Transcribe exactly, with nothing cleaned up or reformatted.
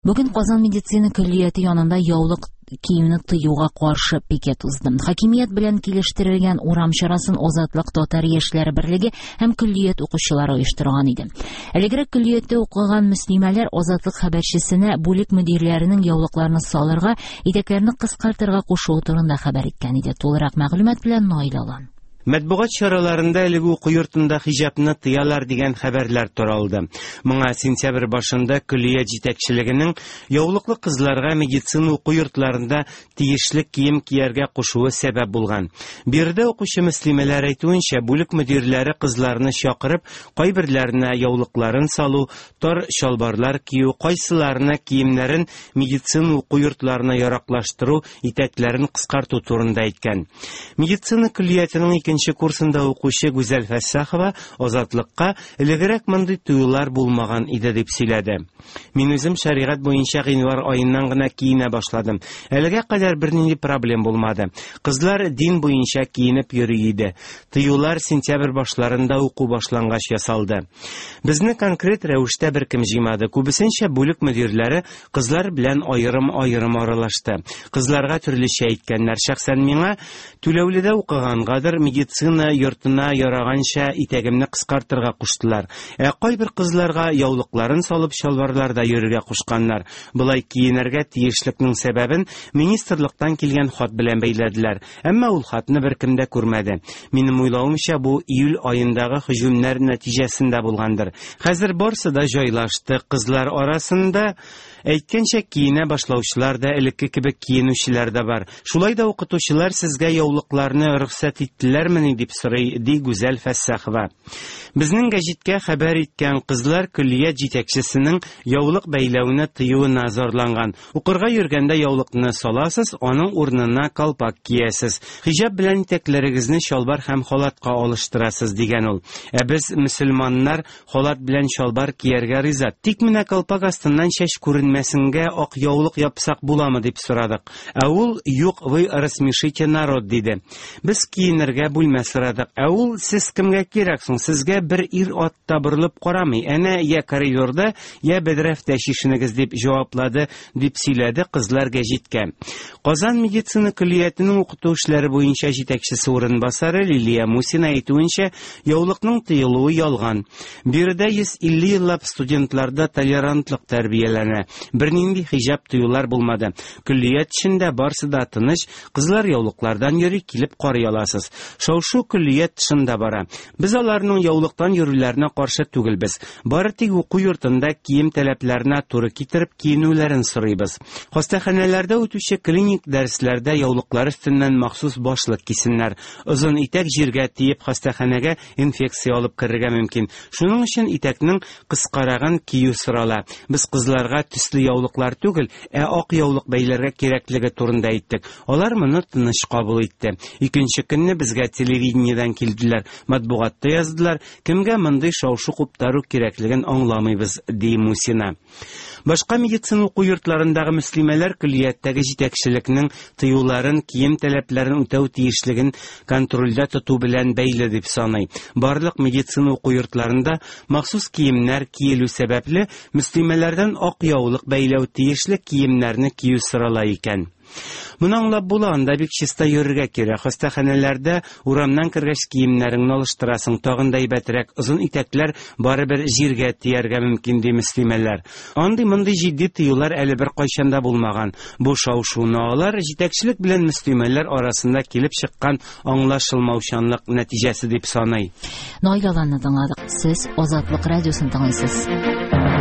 Бүген Казан медицина көллияте янында яулык киюне тыюга каршы пикет узды. Хакимият белән килештерелгән урам чарасын Азатлык татар яшьләре берлеге һәм көллият укучылары оештырган иде. Элегрәк көллияттә укыган мөслимәләр Азатлык хәбәрчесенә бүлек мөдирләренең яулыкларны салырга, итәкләрне кыскартырга кушуы турында хәбәр иткән иде. Тулырак мәгълүмат белән Наил Алан. Матбугат чараларында әлеге уку йортында хиҗапны тыялар дигән хәбәрләр таралды. Моңа сентябрь башында көллият җитәкчелегенең яулыклы кызларга медицина уку йортларында тиешле кием кияргә кушуы сәбәп булган. Биредә укучы мөслимәләр әйтүенчә, бүлек мөдирләре кызларны чакырып, кайберләренә яулыкларын салу, тар чалбарлар кию, кайсыларына киемнәрен медицина уку йортларына яраклаштыру, итәкләрен кыскарту турында әйткән. Медицина көллиятенең икенче курсында укучы Гүзәл Фәссахова Азатлыкка элегрәк мондый тыюлар булмаган иде дип сөйләде. Мин үзем шәригать буенча гыйнвар аеннан гына киенә башладым. Әлегә кадәр бернинди проблем булмады. Кызлар дин буенча киенеп йөри иде. Тыюлар сентябрь башларында уку башлангач ясалды. Безне конкрет рәвештә беркем җыймады. Күбесенчә бүлек мөдирләре кызлар белән аерым-аерым аралашты. Кызларга төрлечә әйткәннәр. Шәхсән миңа түләүледә укыгангадыр медицина йортына яраганча итәгемне кыскартырга куштылар. Ә кайбер кызларга яулыкларын салып чалбарларда йөрергә кушканнар. Болай киенергә тиешлекнең сәбәбен министрлыктан килгән хат белән бәйләделәр. Әмма ул хатны беркем дә күрмәде. Минем уйлавымча, бу июль аендагы һөҗүмнәр нәтиҗәсендә булгандыр. Хәзер барсы да җайлашты. Кызлар арасында әйткәнчә киенә башлаучылар да, элекке кебек киенүчеләр дә бар. Шулай да укытучылар сезгә яулыкларны рөхсәт иттеләрмени дип сорый, ди Гүзәл Фәссахова. Безнең гәҗиткә хәбәр иткән кызлар көллият җитәкчесенең яулык бәйләүне тыюына зарланган. Укырга йөргәндә яулыкны саласыз, аның урынына калпак киясез. Хиҗап белән итәкләрегезне чалбар һәм халатка алыштырасыз дигән ул. Ә без мөселманнар халат белән чалбар кияргә риза. Тик менә калпак астыннан чәч күренмәсенгә ак яулык япсак буламы дип сорадык. Ә ул юк, вы рассмешите народ диде. Без киенергә бүлмә сорадык. Ә ул сез кемгә кирәк соң? Сезгә бер ир ат та борылып карамый. Әнә я коридорда, я бәдрәфтә чишенегез дип җаваплады, дип сөйләде кызлар гәҗиткә. Казан медицина көллиятенең укыту эшләре буенча җитәкчесе урынбасары Лилия Мусина әйтүенчә, яулыкның тыелуы ялган. Биредә йөз илле еллап студентларда толерантлык тәрбияләнә. Бернинди хиҗап тыюлар булмады. Көллият эчендә барсы да тыныч, кызлар яулыклардан йөри, килеп карый аласыз. Шау-шу көллият тышында бара. Без аларның яулыктан йөрүләренә каршы түгелбез. Бары тик уку йортында кием таләпләренә туры китереп киенүләрен сорыйбыз. Хастаханәләрдә үтүче клиник дәресләрдә яулыклар өстеннән махсус башлык кисеннәр. Озын итәк җиргә тиеп хастаханәгә инфекция алып керергә мөмкин. Шуның өчен итәкнең кыскарагын кию сорала. Без кызларга төсле яулыклар түгел, ә ак яулык бәйләргә кирәклеге турында әйттек. Алар моны тыныч кабул итте. Икенче көнне безгә телевидениедән килделәр, матбугатта яздылар, кемгә мондый шау-шу куптару кирәклеген аңламыйбыз, ди Мусина. Башка медицина уку йортларындагы мөслимәләр көллияттәге җитәкчелекнең тыюларын, кием таләпләрен үтәү тиешлеген контрольдә тоту белән бәйле дип саный. Барлык медицина уку йортларында махсус киемнәр киелү сәбәпле мөслимәләрдән ак яулык бәйләү тиешле киемнәрне кию сорала икән. Моны аңлап була, анда бик чиста йөрергә кирәк. Хастаханәләрдә урамнан кергәч киемнәреңне алыштырасың, тагын да әйбәтрәк. Озын итәкләр барыбер җиргә тияргә мөмкин, ди мөслимәләр. Андый-мондый җитди тыюлар әле бер кайчан да булмаган. Бу шау-шуны алар җитәкчелек белән мөслимәләр арасында килеп чыккан аңлашылмаучанлык нәтиҗәсе дип саный. Наил Аланны тыңладык. Сез Азатлык радиосын тыңлыйсыз.